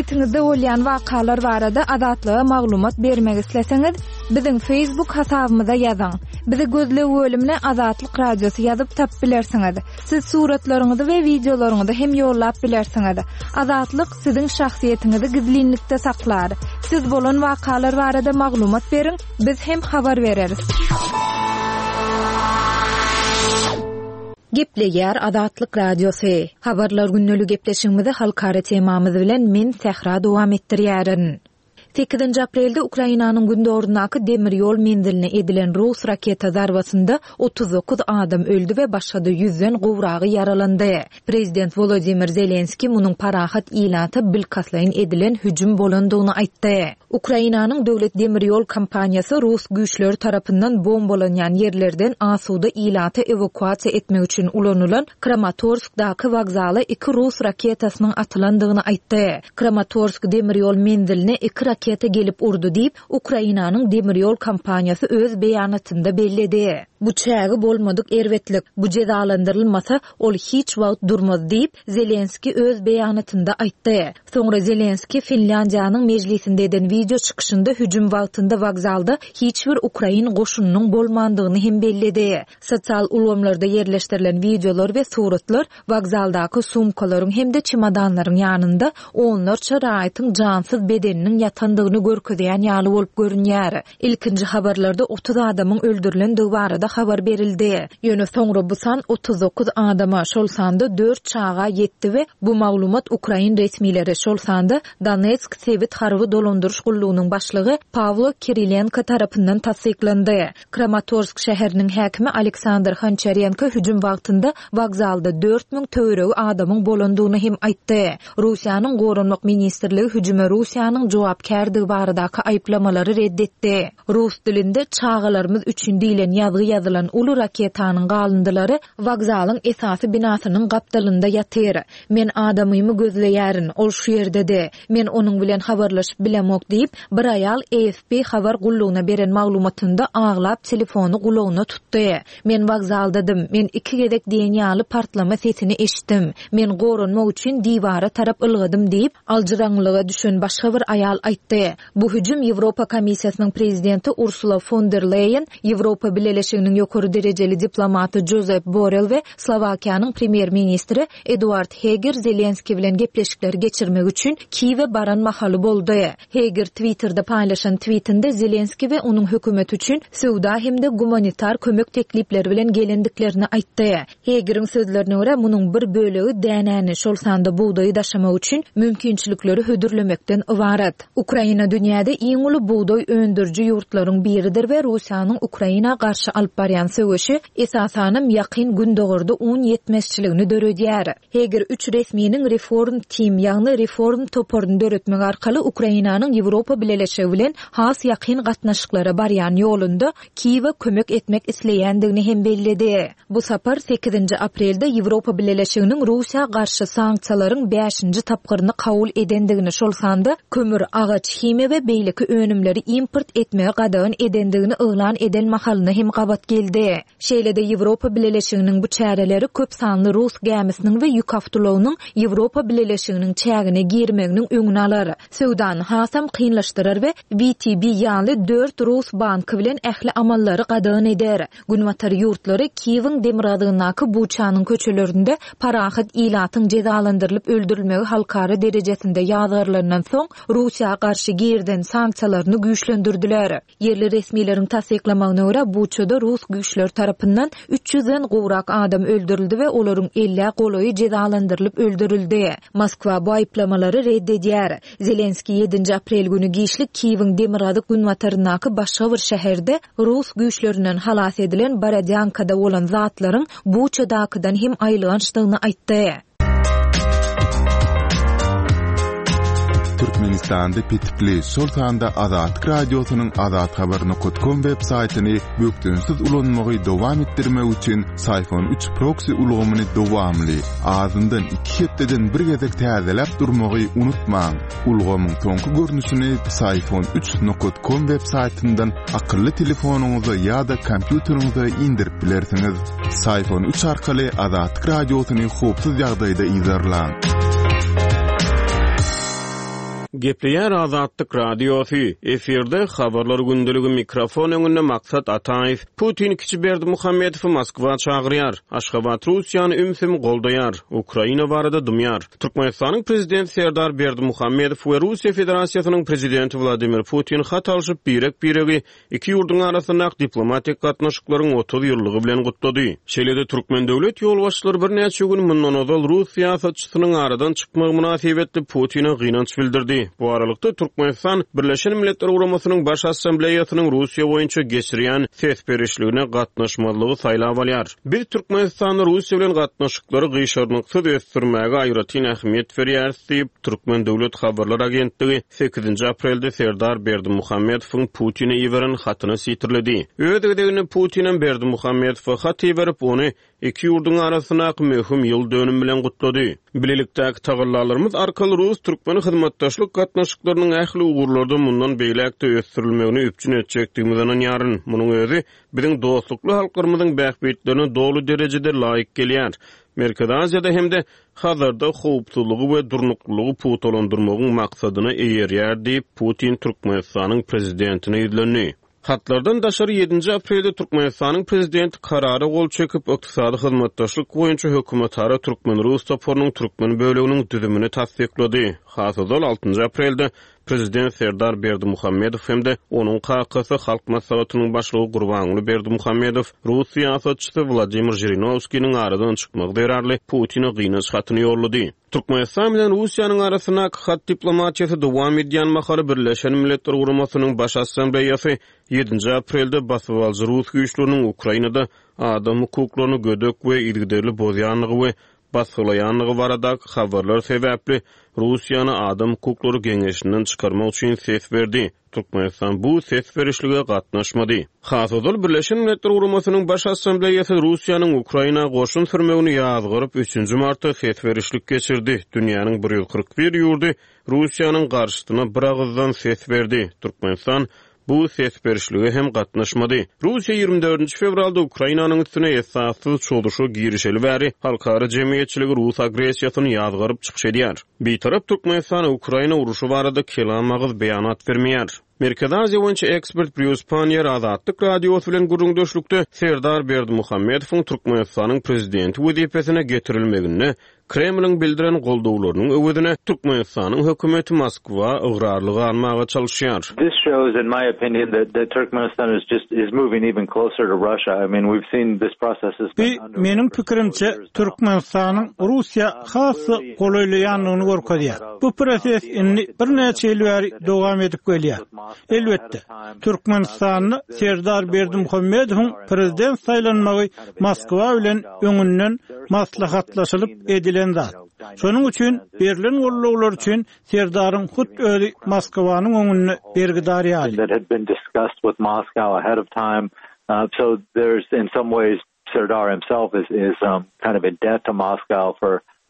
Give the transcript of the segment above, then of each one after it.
Sebitiňizde bolýan wakalar barada Azatlyga maglumat bermek isleseňiz, biziň Facebook hasabymyza ýazyň. Bizi gözleg bölümine Azatlyk Radiosy ýazyp tapyp bilersiňiz. Siz suratlaryňyzy we wideolaryňyzy hem ýollap bilersiňiz. Azatlyk siziň şahsyýetiňizi gizlinlikde saklar. Siz bolan wakalar barada maglumat beriň, biz hem habar bereris. Gepleýär Azatlyk Radiosy. Habarlar gündeli gepleşigimizi halkara temamyz bilen men Sähra dowam etdirýärin. Sekizinji aprelde Ukrainanyň gündogaryndaky demir ýol menziline edilen rus raketa zarbasynda 39 adam öldi we başga-da ýüzden gowragy ýaralandy. Prezident Wolodymyr Zelenskiý munuň parahat ilata bilkastlaýyn edilen hüjüm bolandygyny aýtdy. Ukrainanyň döwlet demir ýol kompaniýasy rus güýçleri tarapyndan bombalanýan ýerlerden asuda ilaty ewakuasiýa etmek üçin ulanylan Kramatorskdaky wokzala iki rus raketasynyň atylandygyny aýtdy. Kramatorsk demir ýol menziline iki raketa gelip urdy diýip, Ukrainanyň demir ýol kompaniýasy öz beýanatynda belledi. Bu çägi bolmadyk erbetlik. Bu jezalandyrylmasa, ol hiç wagt durmaz diýip, Zelenskiý öz beýanatynda aýtdy. Soňra Zelenskiý Finlýandiýanyň mejlisinde eden wideo çykyşynda hüjüm wagtynda wokzalda hiç bir ukrain goşunynyň bolmandygyny hem belledi. Sosial ulgamlarda ýerleşdirilen wideolar we suratlar wokzaldaky sumkalaryň hem-de çemodanlaryň ýanynda onlarça raýatyň jansyz bedeniniň ýatandygyny görkezýän ýaly bolup görünýär. Ilkinji habarlarda 30 adamyň öldürilendigi barada habar berildi. Ýöne soňra bu san 39 adama, şol sanda dört çaga ýetdi we bu maglumat ukrain resmileri, şol sanda Donetsk sebit harby dolandyryş gullugynyň başlygy Pawlo Kirilenko tarapyndan tassyklandy. Kramatorsk şäheriniň häkimi Aleksandr Honçarenko hüjüm wagtynda wokzalda 4000 töweregi adamyň bolandygyny hem aýtdy. Russiýanyň Goranmak ministrligi hüjüme Russiýanyň jogapkärdigi baradaky aýyplamalary red etdi. Rus dilinde Çagalarymyz üçin diýlen ýazgy ýazylan uly raketanyň galyndylary wokzalyň esasy binasynyň gapdalynda ýatyr. Men adamymy gözleýärin, ol şu ýerdedi. Men onuň bilen habarlaşyp bilemok diýip, bir aýal AFP habar gullugyna beren maglumatynda aglap telefony gulagyna tutdy. Men wokzaldadym. Men iki gezek diýen ýaly partlama sesini eşitdim. Men goranmak üçin diwara tarap ylgadym diýip, aljyraňňylyga düşen başga bir aýal aýtdy. Bu hüjüm Ýewropa Komissiýasynyň prezidenti Ursula fon der Leýen, Ýewropa Bileleşiginiň ýokary derejeli diplomaty Jozep Borrell we Slowakiýanyň premýer-ministri Eduard Heger Zelenskiý bilen gepleşikleri geçirmek üçin Kiýewe baran mahaly boldy. Heger Twitterde paýlaşan twitinde Zelenskiý we onuň hökümeti üçin söwda hem-de gumanitar kömek teklipleri bilen gelendiklerini aýtdy. Hegeriň sözlerine görä, munuň bir bölegi dänäni, şol sanda bugdaýy daşamak üçin mümkinçilikleri hödürlemekden ybarat. Ukraina dünýäde iň uly bugdaý öndüriji ýurtlaryň biridir we Russiýanyň Ukraina garşy alyp barýan söweşi, esasanam, Ýakyn Gündogarda un ýetmezçiligini döredýär. Heger üç resminiň Reform Team, ýagny Reform toparyny döretmek arkaly Ukrainanyň Ýewropa Bileleşigi bilen has ýakyn gatnaşyklara barýan ýolunda Kiýewe kömek etmek isleýändigini hem belledi. Bu sapar sekizinji aprelde Ýewropa Bileleşiginiň Russiýa garşy sanksiýalaryň bäşinji tapgyryny kabul edendigini, şol sanda kömür, agaç, himiýa we beýleki önümleri import etmegi gadagan edendigini yglan eden mahalyna hem gabat geldi. Şeýle-de Ýewropa Bileleşiginiň bu çäreleri köp sanly rus gämisiniň we ýük awtoulagynyň Ýewropa Bileleşiginiň çägine girmeginiň öňüni alar, söwdany hasam kynlaşdyrar we WTB ýaly dört rus banky bilen ähli amallary gadagan eder. Günbatar ýurtlary Kiýewiň demirgazygyndaky Buçanyň köçelerinde parahat ilatyň jezalandyrylyp öldürilmegi halkara derejesinde ýazgarylandan soň, Russiýa garşy girizen sanksiýalaryny güýçlendirdiler. Ýerli resmileriň tassyklamagyna görä, Buçada rus güýçleri tarapyndan üç ýüzden gowrak adam öldürildi we olaryň ellä golaýy jezalandyrylyp öldürildi. Moskwa bu aýyplamalary red edýär. Zelenskiý ýedinji aprel güni giçlik Kiýewiň demirgazyk-günbataryndaky başga bir şäherde rus güýçlerinden halas edilen Borodýankada bolan zatlaryň Buçadakydan hem aýylgançdygyny aýtdy. Türkmenistanda petikli, şol sanda Azatlyk Radiosynyň azathabar nokat kom web saýtyny bökdençsiz ulanmagy dowam etdirmek üçin Syfon üç proksi ulgamyny dowamly, azyndan iki hepdeden bir gezek täzeläp durmagy unutmaň. Ulgamyň soňky görnüşini Syfon üç nokat kom web saýtyndan akylly telefonyňyza ýa-da kompýuteriňize indirip bilersiňiz. Syfon üç arkaly Azatlyk Radiosyny howpsuz ýagdaýda yzarlaň. Gepleýär Azatlyk Radiosy, efirde Habarlar gündeligi mikrofon öňünde Maksat Ataýew. Putin kiçi Berdimuhamedowy Moskwa çagyrýar. Aşgabat Russiýany ümsüm goldaýar. Ukraina barada dymýar. Türkmenistanyň Prezidenti Serdar Berdimuhamedow we Russiýa Federasiýasynyň Prezidenti Wladimir Putin hat alşyp, birek-biregi Iki ýurduň arasyndaky diplomatik gatnaşyklaryň 30 ýyllygy bilen gutlady. Şeýle-de türkmen döwlet ýolbaşçylary birnäçe gün mundan ozal rus syýasatçysynyň aradan çykmagy mynasybetli Putine gynanç bildirdi. Bu aralykda, Türkmenistan Birleşen Milletler Guramasynyň Baş Assambleýasynyň Russiýa boýunça geçirýän ses berişligine gatnaşmazlygy saýlap alýar. Biz Türkmenistanda Russiýa bilen gatnaşyklary gyşarnyksyz ösdürmäge aýratyn ähmiýet berýäris diýip, Türkmen döwlet habarlar agentligi Sekizinji aprelde Serdar Berdimuhamedowyň Putine iberen hatyny sitirledi. Öz gezeginde Putinem Berdimuhamedowa hat iberip, ony iki ýurduň arasyndaky möhüm ýyl dönümi bilen gutlady. Bilelikdäki tagallalarymyz arkaly rus-türkmen hyzmatdaşlyk gatnaşyklarynyň ähli ugurlarda mundan beýläk-de ösdürilmegini üpjün etjekdigimize ynanýaryn. Munuň özi biziň dostlukly halklarymyzyň bähbitlerine doly derejede laýyk gelýär. Merkezi Aziýada hem-de Hazarda howpsuzlygy we durnuklylygy pugtalandyrmagyň maksadyna eýerýär diýip, Putin Türkmenistanyň Prezidentine ýüzlendi. Hatlardan daşary ýedinji aprelde Türkmenistanyň Prezidenti Karara gol çekip, Ykdysady hyzmatdaşlyk boýunça hökümetara türkmen-rus toparynyň türkmen böleginiň düzümini tassyklady. Has ozal, altynjy aprelde Prezident Serdar Berdimuhamedow hem-de onuň kakasy, Halk Maslahatynyň Başlygy Gurbanguly Berdimuhamedow rus syýasatçysy Wladimir Žirinowskiniň aradan çykmagy zerarly Putine gynanç hatyny ýollady. Türkmenistan bilen Russiýanyň arasyndaky hat diplomatiýasy dowam edýän mahaly Birleşen Milletler Guramasynyň Baş Assambleýasy ýedinji aprelde basybalyjy rus güýçleriniň Ukrainada adam hukuklaryny gödek we yzygiderli bozýandygy we basgylaýandygy baradaky habarlar sebäpli Russiýany Adam hukuklary geňeşinden çykarmak üçin ses berdi. Türkmenistan bu ses berişlige gatnaşmady. Has ozal Birleşen Milletler Guramasynyň Baş Assambleýasy Russiýanyň Ukraina goşun sürmegini ýazgaryp, üçünji martda ses berişlik geçirdi. Dünýäniň 141 ýurdy Russiýanyň garşysyna biragyzdan ses berdi. Türkmenistan bu ses berişlige hem gatnaşmady. Russiýa 24 fewralda Ukrainanyň üstüne esassyz çozuşa girişeli bäri halkara jemgyýetçiligi rus agressiýasyny ýazgaryp çykyş edýär. Bitarap Türkmenistan Ukraina urşy barada kelam agyz beýanat bermeýär. Merkezi Aziýa boýunça ekspert Brýus Panniýer Azatlyk Radiosy bilen gürrüňdeşlikde Serdar Berdimuhamedowyň Türkmenistanyň prezidenti wezipesine getirilmeginde Kremliň bildiren goldawlarynyň öwezine Türkmenistanyň hökümeti Moskwa ygrarly galmaga çalyşýar. This shows in my opinion that that Turkmenistan is just is moving even closer to Russia. I mean we've seen this process has been Bu, meniň pikirimçe, Türkmenistanyň Russiýa has-da golaýlaýandygyny görkezýär. Bu proses indi birnäçe ýyl bäri dowam edip gelýär. Elbetde, Türkmenistanda Serdar Berdimuhamedowyň prezident saýlanmagy Moskwa bilen öňünden maslahatlaşylyp edilen zat. Şonuň üçin berlen gollawlar üçin Serdaryň hut özi Moskwanyň öňünde bergidar ýaly.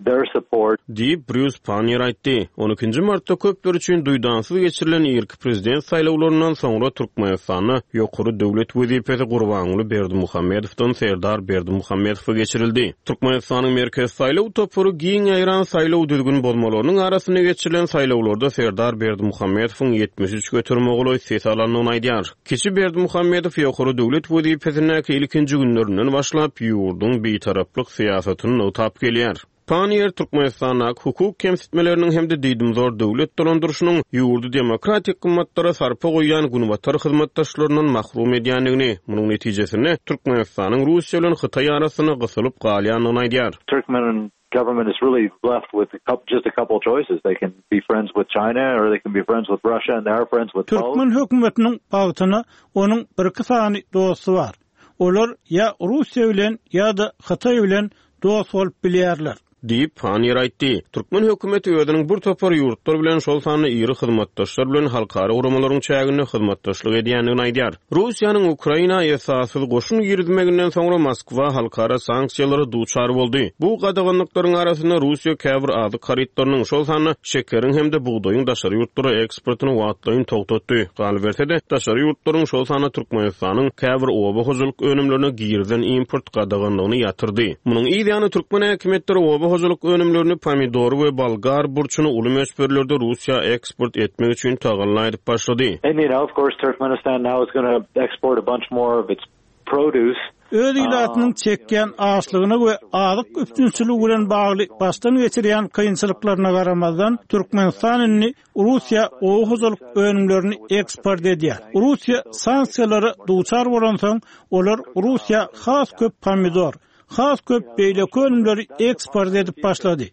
Their support. Diýip, Brýus Panniýer aýtdy. On ikinji martda köpler üçin duýdansyz geçirilen irki prezident saýlawlaryndan soňra Türkmenistanda ýokary döwlet wezipesi Gurbanguly Berdimuhamedowdan Serdar Berdimuhamedowa geçirildi. Türkmenistanyň Merkezi saýlaw topary giň ýaýran saýlaw düzgün bozmalarynyň arasynda geçirilen saýlawlarda Serdar Berdimuhamedowyň 73 göterime golaý ses alandygyny aýdýar. Kiçi Berdimuhamedow ýokary döwlet wezipesindäki ilkinji günlerinden başlap, ýurduň bitaraplyk syýasatyny nygtap gelýär. Panniýer Türkmenistandaky hukuk kemsitmeleriniň hem-de diýdimzor döwlet dolandyryşynyň ýurdy demokratik gymmatlara sarpa goýýan günbatar hyzmatdaşlaryndan mahrum edýändigini, munuň netijesinde Türkmenistanyň Russiýa bilen Hytaý arasynda gysylyp galýandygyny aýdýar. Turkmen government is really left with just a couple choices. They can be friends with China or they can be friends with Russia and they are friends with both. Türkmen hökümetiniň bagtyna onuň birki sany dosty bar. Olar ýa Russiýa bilen ýa-da Hytaý bilen dost bolup bilýärler. Diýip, Panniýer aýtdy. Türkmen hökümeti özüniň bir topar ýurtlar bilen, şol sanda iri hyzmatdaşlar bilen halkara guramalaryň çäginde hyzmatdaşlyk edýändigini aýdýar. Russiýanyň Ukraina esassyz goşun girizmeginden soňra Moskwa halkara sanksiýalara duçar boldy. Bu gadaganlyklaryň arasynda Russiýa käbir azyk harytlarynyň, şol sanda şekeriň hem-de bugdaýyň daşary ýurtlara eksportyny wagtlaýyn togtatdy. Galyberse-de, daşary ýurtlaryň, şol sanda Türkmenistanyň käbir oba hojalyk önümlerine girizen import gadaganlygyny ýatyrdy. Munuň yz ýany türkmen häkimiýetleri oba. hojalyk önümlerini, pomidory we bolgar burçuny uly möçberlerde Russiýa eksport etmek üçin tagalla edip başlady. And you know, of course, Turkmenistan now is gonna export a bunch more of its produce. Öz ilatynyň çekýän açlygyna we azyk üpjünçiligi bilen bagly başdan geçirýän kynçylyklaryna garamazdan, Türkmenistan indi Russiýa oba hojalyk önümlerini eksport edýär. Russiýa sanksiýalara duçar bolansoň, olar Russiýa has köp pomidor, has köp beýleki önümleri eksport edip başlady.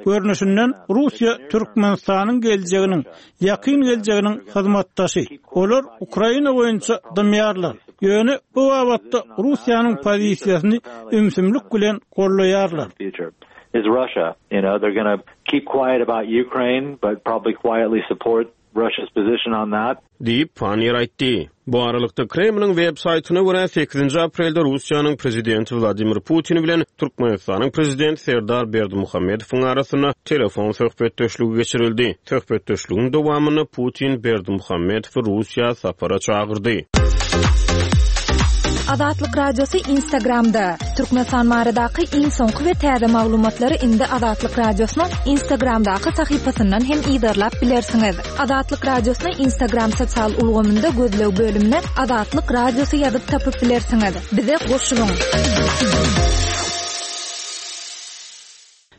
Görnüşinden, Russiýa Türkmenistanyň geljeginiň, ýakyn geljeginiň hyzmatdaşy. Olar Ukraina boýunça dymýarlar. Ýöne bu babatda Russiýanyň pozisiýasyny ümsümlik bilen goldaýarlar. Keep quiet about Ukraine, but probably quietly support Russia's position on that. Diýip, Panniýer aýtdy. Bu aralykda, Kremliň web saýtyna görä, sekizinji aprelde Russiýanyň Prezidenti Wladimir Putin bilen Türkmenistanyň Prezidenti Serdar Berdimuhamedowyň arasynda telefon söhbetdeşligi geçirildi. Söhbetdeşligiň dowamynda Putin Berdimuhamedowy Russiýa sapara çagyrdy. Azatlyk Radiosy Instagramda, Türkmenistan baradaky iň soňky we täze maglumatlary indi Azatlyk Radiosynyň Instagramdaky sahypasyndan hem yzarlap bilersiňiz. Azatlyk Radiosyny Instagram sosial ulgamynda gözleg bölümine Azatlyk Radiosy ýazyp tapyp bilersiňiz. Bize goşulyň!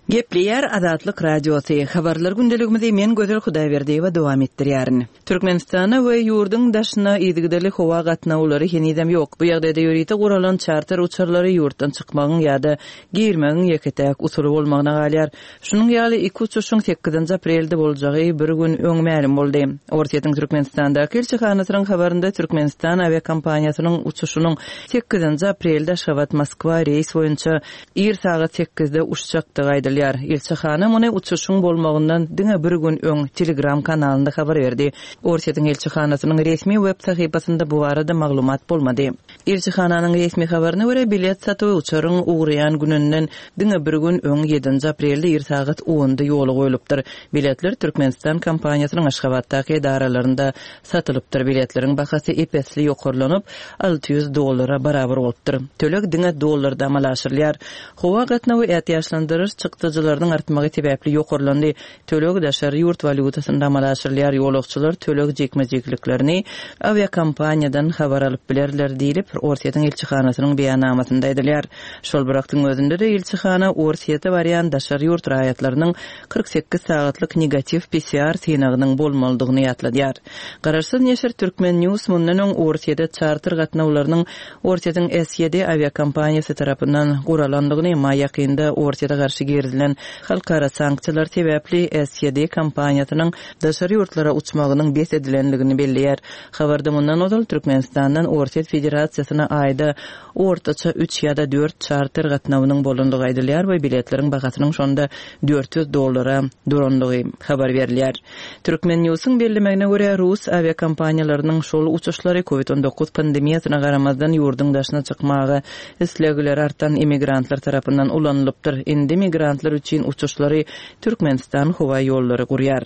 Gepleýär Azatlyk Radiosy, Habarlar gündeligimizi men Gözel Hudaýberdiýewa dowam etdirýärin. Türkmenistana we ýurduň daşyna yzygiderli howa gatnawlary henizem ýok. Bu ýagdaýda ýörite guralan çarter uçarlary ýurtdan çykmagyň ýa-da girmegiň ýeke-täk usuly bolmagyna galýar. Şunuň ýaly iki uçuşyň sekizinji aprelde boljagy bir gün öň mälim boldy. Orsýetiň Türkmenistandaky ilçihanasynyň habarynda Türkmenistan awiakompaniýasynyň uçuşynyň sekizinji aprelde Aşgabat-Moskwa reýs boýunça Ir sagat sekizde uçjakdygy aýdylýar. Ilçihana muny uçuşyň bolmagyndan diňe bir gün öň Telegram kanalynda habar berdi. Orsýetiň ilçihanasynyň resmi web sahypasynda bu barada maglumat bolmady. Ilçihananyň resmi habaryna görä, bilet satuwy uçaryň ugraýan gününden diňe bir gün öň, ýedinji aprelde ir sagat onda ýola goýlupdyr. Biletler Türkmenistan kompaniýasynyň Aşgabatdaky edaralarynda Satylypdyr. Biletleriň bahasy ep-esli ýokarlanyp, 600 dollara barabar bolupdyr. Töleg diňe dollarda amala aşyrylýar. Howa gatnawy ätiýaçlandyryş çykdajylarynyň artmagy sebäpli ýokarlandy. Töleg daşary ýurt walýutasynda amala aşyrylýar. Ýolagçylar töleg jikme-jikliklerini awiakompaniýadan habar alyp bilerler diýlip, Orsýetiň ilçihanasynyň beýannamasynda aýdylýar. Şol bir wagtyň özünde-de ilçihana Orsýete barýan daşary ýurt raýatlarynyň 48 sagatlyk negatiw PCR synagynyň bolmalydygyny ýatladýar. Garaşsyz neşir Turkmen News mundan öň Orsýede çarter gatnawlarynyň Orsýetiň SED awiakompaniýasy tarapyndan guralandygyny, emma ýakynda Orsýete garşy girizilen halkara sanksiýalar sebäpli SED kompaniýasynyň daşary ýurtlara uçmagynyň bes edilendigini belleýär. Habarda mundan ozal Türkmenistandan Orsýet Federasiýasyna aýda ortaça üç ýa-da dört çarter gatnawynyň bolandygy aýdylýar we biletleriň bahasynyň şonda 400 dollara durandygy habar berilýär. Turkmen Newsiň bellemegine görä, rus awiakompaniýalarynyň şol uçuşlary Covid 19 pandemiýasyna garamazdan ýurduň daşyna çykmaga islegleri artan immigrantlar tarapyndan ulanylypdyr. Indi migrantlar üçin uçuşlary Türkmenistan howaýollary gurýar.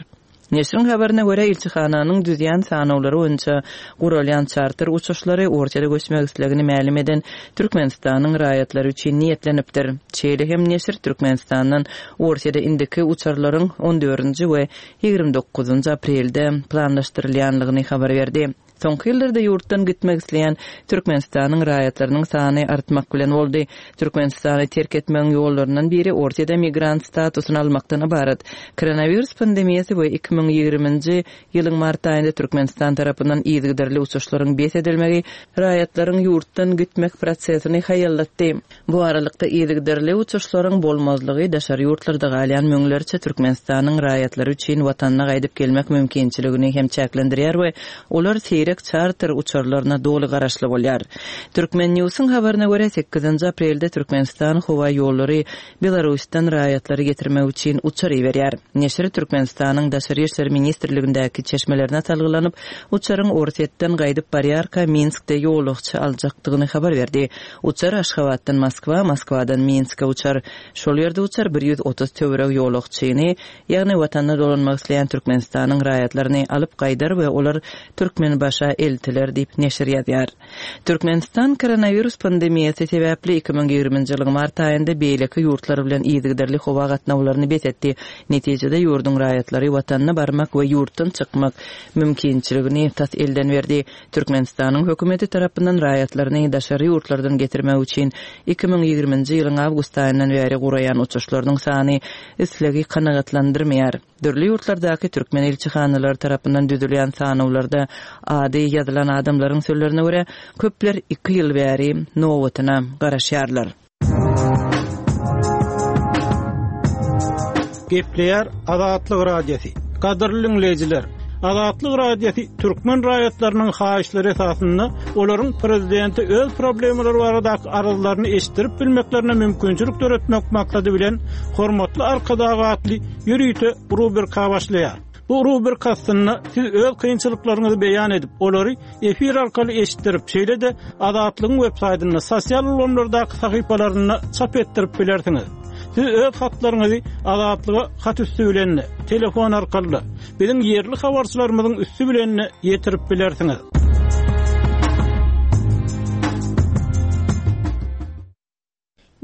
Neşiriň habaryna görä, ilçihananyň düzýän sanawlary boýunça guralýan çarter uçuşlary Orsýete göçmek islegini mälim eden Türkmenistanyň raýatlary üçin niýetlenipdir. Şeýle hem neşir Türkmenistandan Orsýete indiki uçarlaryň on dördünji we 29-njy aprelde planlaşdyrylýanlygyny habar berdi. Soňky ýyllarda ýurtdan gitmek isleýän Türkmenistanyň raýatlarynyň sany artmak bilen boldy. Türkmenistany terk etmegiň ýollaryndan biri Orsýede migrant statusyny almakdan ybarat. Koronawirus pandemiýasy we 2020-nji ýylyň mart aýynda Türkmenistan tarapyndan yzygiderli uçuşlaryň bes edilmegi raýatlaryň ýurtdan gitmek prosesini haýallatdy. Bu aralykda, yzygiderli uçuşlaryň bolmazlygy daşary ýurtlarda galýan müňlerçe Türkmenistanyň raýatlary üçin watanyna gaýdyp gelmek mümkinçiligini hem çäklendirýär we olar seýrek çarter uçarlaryna doly garaşly bolýar. Turkmen Newsiň habaryna görä, sekizinji aprelde Türkmenistan howa ýollary Belarusdan raýatlary getirmek üçin uçar iberýär. Neşir Türkmenistanyň Daşary işler ministrligindäki çeşmelerine salgylanyp, uçaryň Orsýetden gaýdyp barýarka Minskde ýolagçy aljakdygyny habar berdi. Uçar Aşgabatdan Moskwa, Moskwadan Minske uçar. Şol ýerde uçar 130 töweregi ýolagçyny, ýagny Watanyna dolanmak isleýän Türkmenistanyň raýatlaryny alyp gaýdar we olar Türkmenbaşy. ABŞ-a eltiler diýip, neşir ýazýar. Türkmenistan koronawirus pandemiýasy sebäpli 2020-nji ýylyň mart aýynda beýleki ýurtlar bilen yzygiderli howa gatnawlaryny bes etdi. Netijede, ýurduň raýatlary watanyna barmak we ýurtdan çykmak mümkinçiligini tas elden berdi. Türkmenistanyň hökümeti tarapyndan raýatlaryny daşary ýurtlardan getirmek üçin 2020-nji ýylyň awgust aýyndan bäri guraýan uçuşlarynyň sany islegi kanagatlandyrmaýar. Dürli ýurtlardaky türkmen ilçihanalary tarapyndan düzülýän sanawlarda ady ýazylan adamlaryň sözlerine görä, köpler iki ýyl bäri nobatyna garaşýarlar. Gepleýär Azatlyk Radiosy. Gadyrly diňleýjiler! Azatlyk Radiosy türkmen raýatlarynyň haýyşlary esasynda olaryň prezidente öz problemalary baradaky arzlaryny eşitdirip bilmeklerine mümkinçilik döretmek maksady bilen Hormatly Arkadag atly ýörite rubrika başlaýar. Bu rubrika astynda siz öz kynçylyklaryňyzy beýan edip, olary efir arkaly eşitdirip, şeýle-de Azatlygyň web saýtynda, sosial ulgamlardaky sahypalarynda çap etdirip bilersiňiz. Siz öz hatlaryňyzy Azatlyga hat üsti bilen-de, telefon arkaly-da, biziň ýerli habarçylarymyzyň üsti bilen-de ýetirip bilersiňiz.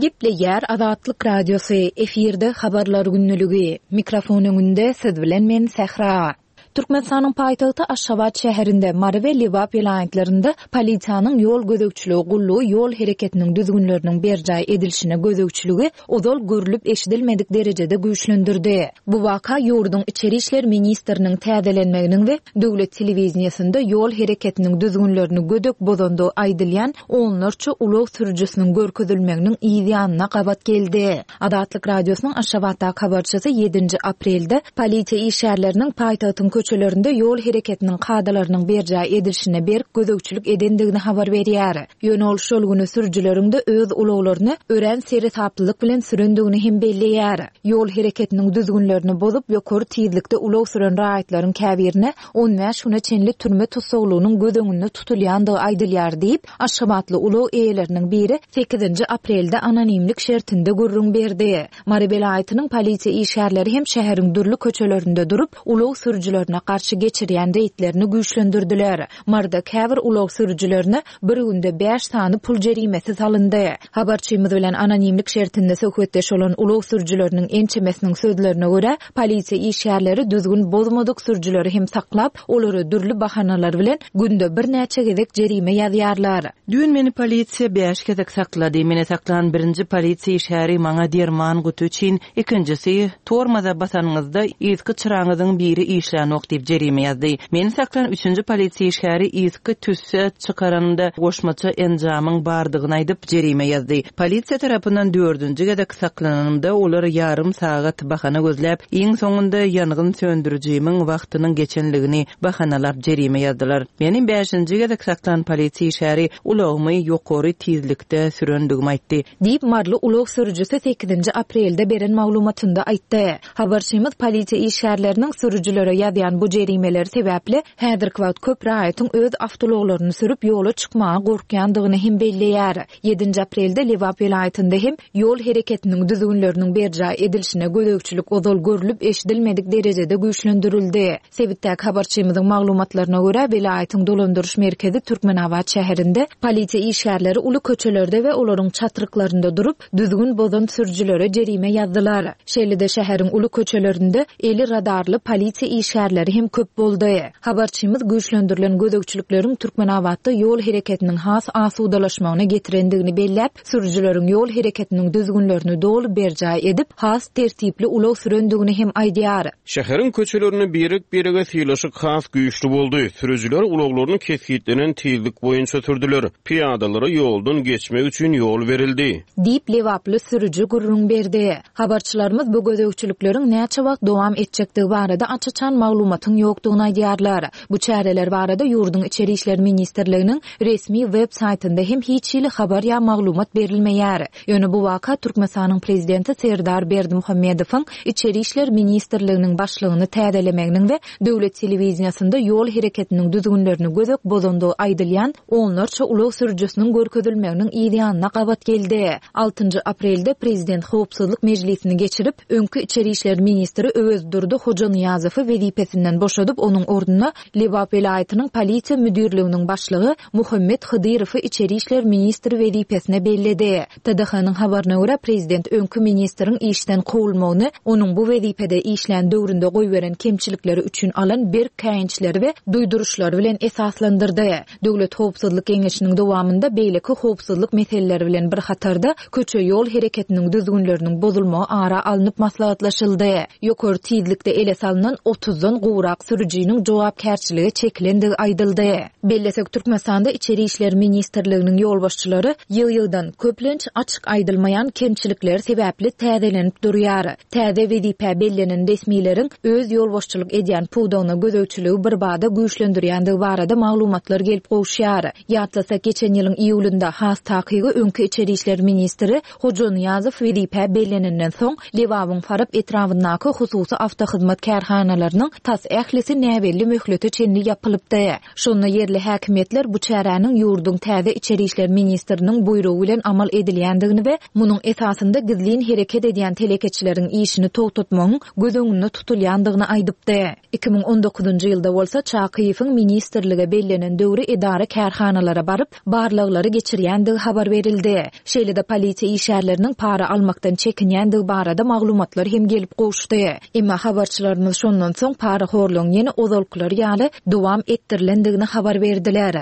Gepleýär Azatlyk Radiosy, efirde Habarlar gündeligi. Mikrofon öňünde siz bilen men Sähra. Türkmenistanyň paýtagty Aşgabat şäherinde, Mary we Lebap welaýatlarynda polisiýanyň ýol gözegçiligi gullugy ýol hereketiniň düzgünleriniň berjaý edilişine gözegçiligi ozal görlüp-eşidilmedik derejede güýçlendirdi. Bu waka ýurduň içeri işler ministriniň täzelenmeginiň we döwlet telewideniýesinde ýol hereketiniň düzgünlerini gödek bozandygy aýdylýan onlarça ulag sürüjisiniň görkezilmeginiň yz ýanyna gabat geldi. Azatlyk Radiosynyň Aşgabatdaky habarçysy ýedinji aprelde polisiýa işgärleriniň paýtagtyň köçelerinde ýol hereketiniň kadalarynyň berjaý edilişine berk gözegçilik edendigini habar berýär. Ýöne ol şol güni sürüjileriň-de öz ulaglaryny örän seresaplylyk bilen sürendigini hem belleýär. Ýol hereketiniň düzgünlerini bozup, ýokary tizlikde ulag süren raýatlaryň käbirine 15 güne çenli türme tussaglygynyň göz öňünde tutulýandygy aýdylýar diýip, aşgabatly ulag eýeleriniň biri sekizinji aprelde anonimlik şertinde gürrüň berdi. Mary welaýatynyň polisiýa işgärleri hem şäheriň dürli köçelerinde durup, ulag sürüjilerine garşy geçirýän reýdlerini güýçlendirdiler. Maryda käbir ulag sürüjilerine bir günde bäş sany pul jerimesi salyndy. Habarçymyz bilen anonimlik şertinde söhbetdeş bolan ulag sürüjileriniň ençemesiniň sözlerine görä, polisiýa işgärleri düzgün bozmadyk sürüjileri hem saklap, olara dürli bahanalar bilen günde birnäçe gezek jerime ýazýarlar. Düýn meni polisiýa bäş gezek saklady. Meni saklan birinji polisiýa işgäri maňa derman guty üçin Ikinjisi, tormoza basanyňyzda yzky çyraňyzyň biri işlänok diýip jerime ýazdy. Meni saklan üçünji polisiýa işgäri yzky tüsse çykaranymda goşmaça enjamyň bardygyny aýdyp, jerime ýazdy. Polisiýa tarapyndan dördünji gezek saklananymda olar ýarym sagat bahana gözläp, iň soňunda ýangyn söndürijimiň wagtynyň geçenligini bahanalap jerime ýazdylar. Meni bäşinji gezek saklan polisiýa işgäri ulagymy ýokary tizlikde sürendigimi aýtdy. Diýip, maryly ulag sürüjisi sekizinji aprelde beren maglumatynda aýtdy. Habarçymyz polisiýa işgärleriniň sürüjilere ýazýan bu jerimeleri sebäpli häzirki wagt köp raýatyň öz awtoulaglaryny sürüp ýola çykmaga gorkýandygyny hem belleýär. Ýedinji aprelde Lebap welaýatynda hem ýol hereketiniň düzgünleriniň berjaý edilişine gözegçilik ozal görlüp-eşidilmedik derejede güýçlendirildi. Sebitdäki habarçymyzyň maglumatlaryna görä, welaýatyň dolandyryş merkezi Türkmenabat şäherinde polisiýa işgärleri uly köçelerde we olaryň çatryklarynda durup, düzgün bozan sürüjilere jerime ýazdylar. Şeýle-de şäheriň uly köçelerinde eli radarly polisiýa işgärleri hem köp boldy. Habarçymyz güýçlendirilen gözegçilikleriň Türkmenabatda ýol hereketiniň has asudalaşmagyna getirendigini belläp, sürüjileriň ýol hereketiniň düzgünlerini doly berjaý edip, has tertipli ulag sürendigini hem aýdýar. Şäheriň köçelerinde birek-birege sylaşyk has güýçli boldy. Sürüjiler ulaglaryny kesgitlenen tizlik boýunça sürdüler. Pyýadalara ýoldan geçmek üçin ýol berildi. Diýip, lebaply sürüji gürrüň berdi. Habarçylarymyz bu gözegçilikleriň näçe wagt dowam etjekdigi barada aç-açan maglumatyň ýokdugyny aýdýarlar. Bu çäreler barada ýurduň Içeri işler ministrliginiň resmi web saýtynda hem hiç hili habar ýa maglumat berilmeýär. Ýöne bu waka Türkmenistanyň prezidenti Serdar Berdimuhamedowyň Içeri işler ministrliginiň başlygyny täzelemeginiň we döwlet telewideniýesinde ýol hereketiniň düzgünlerini gödek bozandygy aýdylýan onlarça ulag sürüjisiniň görkezilmeginiň yz ýanyna gabat geldi. Altynjy aprelde prezident howpsuzlyk mejlisini geçirip, öňki içeri işler ministri Öwezdurdy Hojanyýazowy wezipesinden. wezipesinden boşadyp, onuň ornuna Lebap welaýatynyň polisiýa müdirliginiň başlygy Muhammet Hydyrowy içeri işler ministri wezipesine belledi. TDH-nyň habaryna görä, prezident öňki ministriň işden kowulmagyny onuň bu wezipede işlän döwründe goýberen kemçilikleri üçin alan berk käýinçleri we duýduryşlary bilen esaslandyrdy. Döwlet howpsuzlyk geňeşiniň dowamynda beýleki howpsuzlyk meseleleri bilen bir hatarda, köçe-ýol hereketiniň düzgünleriniň bozulmagy ara alnyp maslahatlaşyldy. Ýokary tizlikde ele salnan otuzdan gowrak sürüjiniň jogapkärçilige çekilendigi aýdyldy. Bellesek, Türkmenistanda Içeri işler ministrliginiň ýolbaşçylary ýygy-ýygydan, köplenç açyk aýdylmaýan kemçilikleri sebäpli täzelenip durýar. Täze wezipä bellenen resmileriň öz ýolbaşçylyk edýän pudagyna gözegçiligi birbada güýçlendirýändigi barada maglumatlar gelip gowuşýar. Ýatlasak, geçen ýylyň iýulynda, has takygy öňki içeri işler ministri Hoja Nyýazow wezipä bellenenden soň, Lebabyň Farap etrabyndaky hususy awtohyzmat kärhanalarynyň tas ählisi näbelli möhlete çenli ýapylypdy. Şonda ýerli häkimiýetler bu çäräniň ýurduň täze içeri işler ministriniň buýrugy bilen amal edilýändigini we munuň esasynda gizlin hereket edýän telekeçileriň işini togtatmagyň göz öňünde tutulýandygyny aýdypdy. 2019-njy ýylda bolsa Çakyýewiň ministrlige bellenen döwri edara-kärhanalara baryp, barlaglary geçirýändigi habar berildi. Şeýle-de polisiýa işgärleriniň para almakdan çekinýändigi barada maglumatlar hem gelip gowuşdy. Emma habarçylarymyz şondan soň parahorlugyň ýene ozalkylary ýaly dowam etdirilendigini habar berdiler.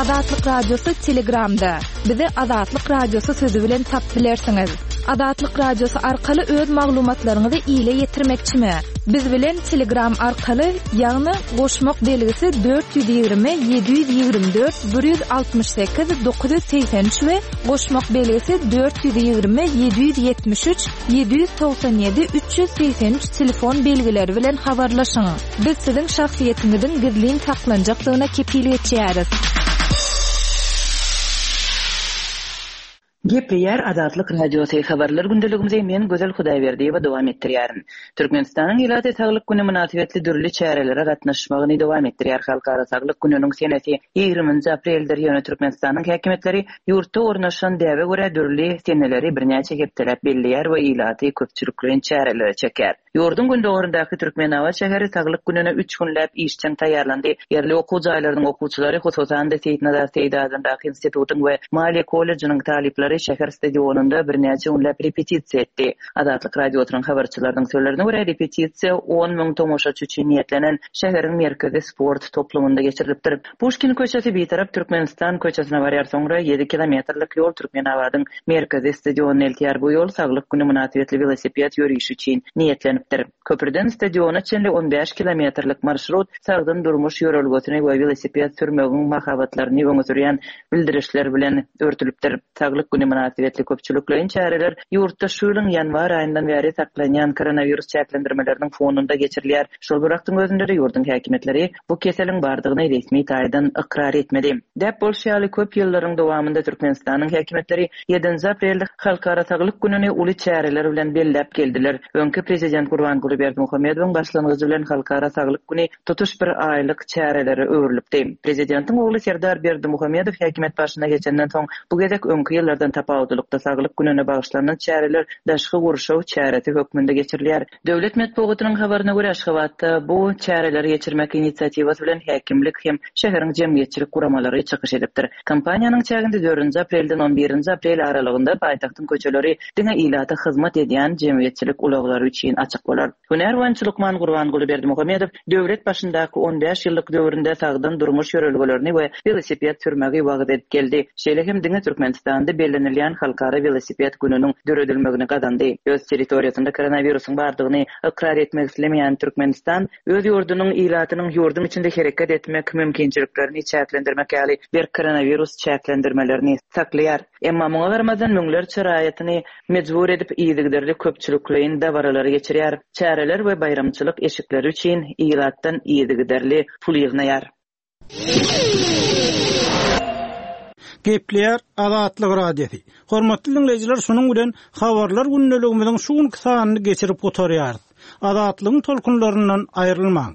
Azatlyk Radiosy Telegramda. Bizi Azatlyk Radiosy sözi bilen tapyp bilersiňiz. Azatlyk Radiosy arkaly öz maglumatlaryňyzy ile ýetirmekçimi? Biz bilen Telegram arkaly, ýagny goşmak belgisi 420 724 168 983 we goşmak belgisi 420 773 797 383 telefon belgileri bilen habarlaşyň. Biz siziň şahsyýetiňiziň gizlin saklanjakdygyna kepil geçýäris. Gepleýär Azatlyk Radiosy, Habarlar gündeligimizi men Gözel Hudaýberdiýewa dowam etdirýärin. Türkmenistanyň ilaty Saglyk güni mynasybetli dürli çärelere gatnaşmagyny dowam etdirýär. Halkara saglyk gününiň senesi ýigriminji apreldir, ýöne Türkmenistanyň häkimiýetleri ýurtda ornaşan däbe görä dürli seneleri birnäçe hepdeläp belleýär we ilaty köpçülikleýin çärelere çekýär. Ýurduň gündogaryndaky Türkmenabat şäheri Saglyk gününe üç günläp işjeň taýýarlandy. Ýerli okuw jaýlarynyň okuwçylary, hususan-da, Seýitnazar Seýdi adyndaky institutyň we Maliýe kollejiniň talyplary şäher stadionynda birnäçe günläp repetisiýa etdi. Azatlyk Radiosynyň habarçylarynyň sözlerine görä, repetisiýa on müň tomaşaçy üçin niýetlenen şäheriň merkezi sport toplumynda geçirilipdir. Puşkin köçesi Bitarap Türkmenistan köçesine barýar, soňra ýedi kilometrlik ýol Türkmenabadyň merkezi stadionyna eltýär. Bu ýol Saglyk güni mynasybetli welosiped ýörişi üçin niýetlenipdir. Köprüden stadiona çenli on bäş kilometrlik marşrut sagdyn durmuş ýörelgesini we welosiped sürmegiň mahabatlaryny öňe sürýän bildirişler bilen örtülipdir. Saglyk güni mynasybetli köpçülikleýin çäreler ýurtda şu ýylyň ýanwar aýyndan bäri saklanýan koronawirus çäklendirmeleriniň fonunda geçirilýär. Şol bir wagtyň özünde-de ýurduň häkimiýetleri bu keseliň bardygyny resmi taýdan ykrar etmedi. Däp bolşy ýaly, köp ýyllaryň dowamynda Türkmenistanyň häkimiýetleri ýedinji aprelde Halkara saglyk gününi uly çäreler bilen belläp geldiler. Öňki prezident Gurbanguly Berdimuhamedowyň başlangyjy bilen Halkara saglyk güni tutuş bir aýlyk çärelere öwrülipdi. Prezidentiň ogly Serdar Berdimuhamedow häkimiýet başyna geçenden soň, bu gezek öňki ýyllardan tapawutlylykda Saglyk gününe bagyşlanan çäreler daşky gurşaw çäresi hökmünde geçirilýär. Döwlet metbugatynyň habaryna görä, Aşgabatda bu çäreleri geçirmek inisiatiwasy bilen häkimlik hem şäheriň jemgyýetçilik guramalary çykyş edipdir. Kampaniýanyň çäginde dördünji aprelden on birinji aprel aralygynda paýtagtyň köçeleri diňe ilata hyzmat edýän jemgyýetçilik ulaglary üçin açyk bolar. Hünär boýunça lukman Gurbanguly Berdimuhamedow döwlet başyndaky on bäş ýyllyk döwründe sagdyn durmuş ýörelgelerini we welosiped sürmegi wagyz edip geldi. Şeýle hem diňe Türkmenistanda bellenilýän Halkara welosiped gününiň döredilmegini gazandy. Öz territoriýasynda koronawirusyň bardygyny ykrar etmek islemeýän Türkmenistan öz ýurdunyň ilatynyň ýurduň içinde hereket etmek mümkinçiliklerini çäklendirmek ýaly berk koronawirus çäklendirmelerini saklaýar. Emma muňa garamazdan müňlerçe raýatyny mejbur edip yzygiderli köpçülikleýin dabaralary geçirýär, çäreler we baýramçylyk eşikleri üçin ilatdan yzygiderli pul ýygnaýar. Gepleýär Azatlyk Radiosy. Hormatly diňleýjiler şunuň bilen Habarlar gündeligimiziň şu günki sanyny geçirip gutarýarys. Azatlygyň tolkunlaryndan aýrylmaň!